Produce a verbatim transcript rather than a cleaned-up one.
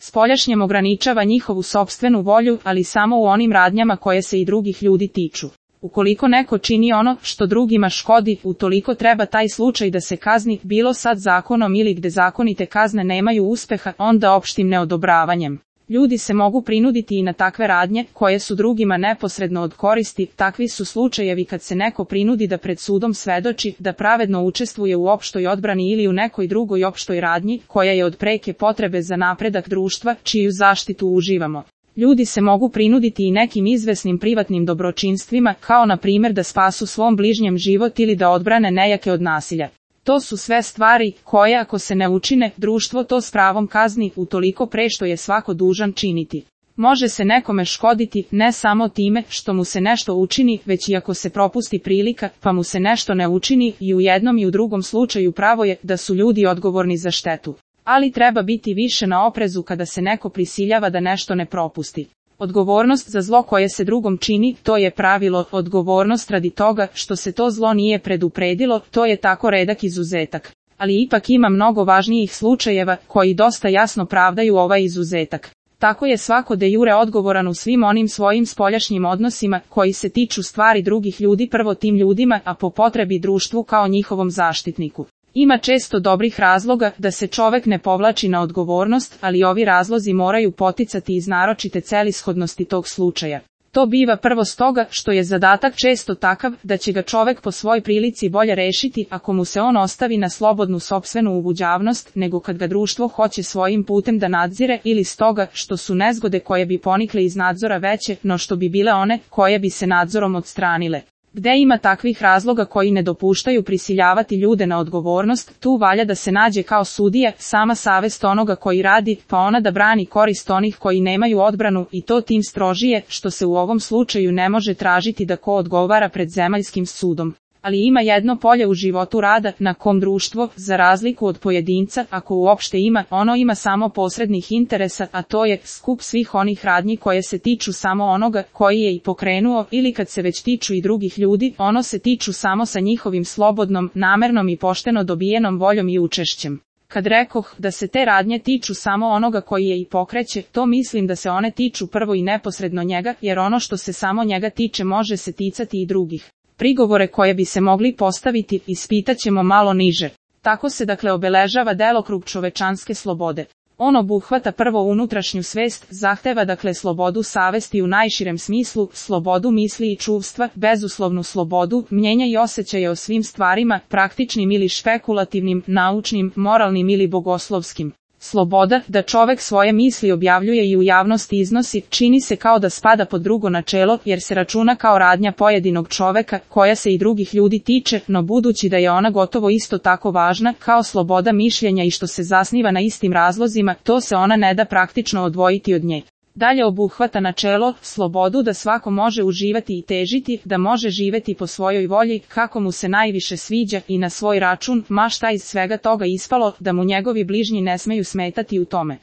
spoljašnjem ograničava njihovu sopstvenu volju, ali samo u onim radnjama koje se i drugih ljudi tiču. Ukoliko neko čini ono što drugima škodi, utoliko treba taj slučaj da se kazni, bilo sad zakonom ili gde zakonite kazne nemaju uspeha, onda opštim neodobravanjem. Ljudi se mogu prinuditi i na takve radnje, koje su drugima neposredno od koristi. Takvi su slučajevi kad se neko prinudi da pred sudom svedoči, da pravedno učestvuje u opštoj odbrani ili u nekoj drugoj opštoj radnji, koja je od preke potrebe za napredak društva, čiju zaštitu uživamo. Ljudi se mogu prinuditi i nekim izvesnim privatnim dobročinstvima, kao na primjer da spasu svom bližnjem život ili da odbrane nejake od nasilja. To su sve stvari koje, ako se ne učine, društvo to s pravom kazni, utoliko pre što je svako dužan činiti. Može se nekome škoditi ne samo time što mu se nešto učini, već i ako se propusti prilika, pa mu se nešto ne učini, i u jednom i u drugom slučaju pravo je da su ljudi odgovorni za štetu. Ali treba biti više na oprezu kada se neko prisiljava da nešto ne propusti. Odgovornost za zlo koje se drugom čini, to je pravilo. Odgovornost radi toga što se to zlo nije predupredilo, to je tako redak izuzetak. Ali ipak ima mnogo važnijih slučajeva koji dosta jasno pravdaju ovaj izuzetak. Tako je svako de jure odgovoran u svim onim svojim spoljašnjim odnosima koji se tiču stvari drugih ljudi, prvo tim ljudima, a po potrebi društvu kao njihovom zaštitniku. Ima često dobrih razloga da se čovek ne povlači na odgovornost, ali ovi razlozi moraju poticati iz naročite celishodnosti tog slučaja. To biva prvo stoga što je zadatak često takav da će ga čovek po svoj prilici bolje rešiti ako mu se on ostavi na slobodnu sopstvenu ubuđavnost, nego kad ga društvo hoće svojim putem da nadzire, ili stoga što su nezgode koje bi ponikle iz nadzora veće no što bi bile one koje bi se nadzorom odstranile. Gde ima takvih razloga koji ne dopuštaju prisiljavati ljude na odgovornost, tu valja da se nađe kao sudija sama savest onoga koji radi, pa ona da brani korist onih koji nemaju odbranu, i to tim strožije što se u ovom slučaju ne može tražiti da ko odgovara pred zemaljskim sudom. Ali ima jedno polje u životu rada na kom društvo, za razliku od pojedinca, ako uopšte ima, ono ima samo posrednih interesa, a to je skup svih onih radnji koje se tiču samo onoga koji je i pokrenuo, ili kad se već tiču i drugih ljudi, ono se tiču samo sa njihovim slobodnom, namernom i pošteno dobijenom voljom i učešćem. Kad rekoh da se te radnje tiču samo onoga koji je i pokreće, to mislim da se one tiču prvo i neposredno njega, jer ono što se samo njega tiče može se ticati i drugih. Prigovore koje bi se mogli postaviti ispitaćemo malo niže. Tako se dakle obeležava delokrug čovečanske slobode. On obuhvata prvo unutrašnju svest, zahteva dakle slobodu savesti u najširem smislu, slobodu misli i čuvstva, bezuslovnu slobodu, mnjenja i osjećaja o svim stvarima, praktičnim ili špekulativnim, naučnim, moralnim ili bogoslovskim. Sloboda, da čovek svoje misli objavljuje i u javnosti iznosi, čini se kao da spada pod drugo načelo, jer se računa kao radnja pojedinog čoveka, koja se i drugih ljudi tiče, no budući da je ona gotovo isto tako važna, kao sloboda mišljenja i što se zasniva na istim razlozima, to se ona ne da praktično odvojiti od nje. Dalje obuhvata načelo, slobodu da svako može uživati i težiti, da može živeti po svojoj volji, kako mu se najviše sviđa i na svoj račun, ma šta iz svega toga ispalo, da mu njegovi bližnji ne smeju smetati u tome.